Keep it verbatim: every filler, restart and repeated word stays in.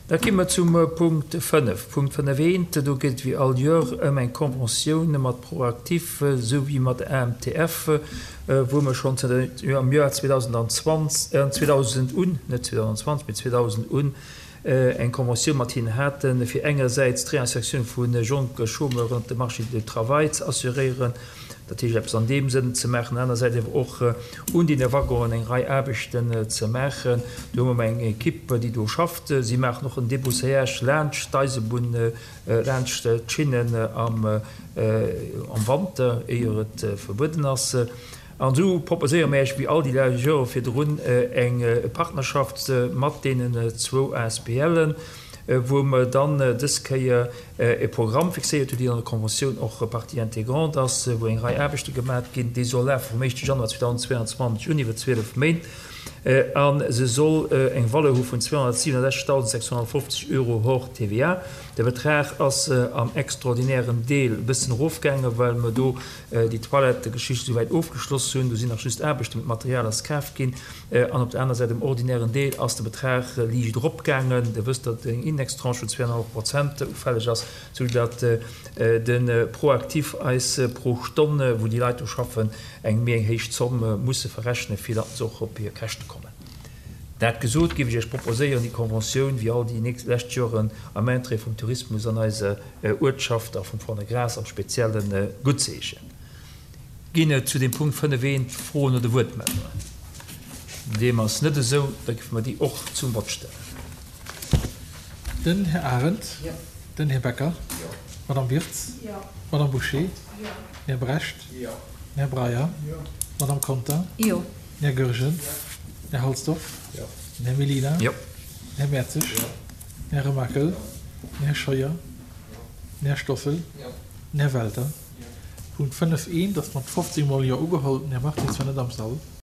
Da gi mer zum Punkt fënnef. Punkt fënnef eent, do geet et wéi all Joer ëm eng Conventioun mat ProActif souwéi mat A M T F, wou mer schonn zënter am Joer zweedausendzwanzeg, zweedausend un, net zweedausendzwanzeg, mee zweedausend un, eng Conventioun mat hinnen haten, fir engersäits d'Réinsertioun vu jonke Chômeuren op de Marché du travail ze assuréieren, dat heescht eppes an deem Sënn ze maachen, anersäits awer och un deene Waggonen eng Rei Aarbechten ze maachen. Do hu mer eng Ekipp, déi do schafft. Si maachen och en Débroussaillage laanscht d'Eisebunn, laanscht d'Schinnen am Wanter, éier et verbueden ass. An esou proposéiere mir Iech, wéi all déi lescht Jore virdrun, eng Partnerschaft mat deenen zwou A S B Len, wou mer dann dës Kéier e Programm fixéiert hunn, deen an der Conventioun och Partie intégrante ass, wou eng Rei Aarbechte gemat ginn. Déi soll lafe vum éischte Januar zweedausendzweeanzwanzeg un iwwer zwielef Méint a se soll eng Valeur hu vun zweehonnertsiwenundsechzegtausendsechshonnertfofzeg Euro hors T V A. De Betrag ass am extraordinären Deel e bëssen erofgaangen, well mer do déi Toilettegeschicht esouwäit ofgeschloss hunn. Do sinn nach just Aarbechten, mee d'Material ass kaf ginn. An op der aner Säit, um ordinären Deel, ass de Betrag liicht eropgaangen. Dir wësst, datt eng Indextranche vun zwee an e hallef Prozent ufälleg ass, soudatt de ProActif eis pro Stonn, wou déi Leit do schaffen, eng méi eng héich Zomm musse verrechnen, fir datt se och op hir Käschte kommen. Dat gesot, géif ech Iech proposéieren, déi Conventioun, wéi all déi nächst lescht Joren, am Interêt vum Tourismus an eiser Uertschaft a vum Fond-de-Gras am Speziellen, guttzeheeschen. Ginn et zu dem Punkt fënnef eent Froen oder Wuertmeldungen? Deem ass net esou, da géife mer déi och zum Vott stellen. Den Här Arendt. Den Här Becker. D'Madame Wirtz. D'Madame Bouché. Den Här Brecht. Den Här Breyer. D'Madame Conter. Den Här Goergen. Den Här Halsdorf. Den Här Mellina. Den Här Mertzig. Den Här Remakel. Den Här Scheuer. Den Här Stoffel. Den Här Welter. Punkt fënnef eent ass mat fofzéng mol Jo ugeholl. Den Här Martins war net am Sall.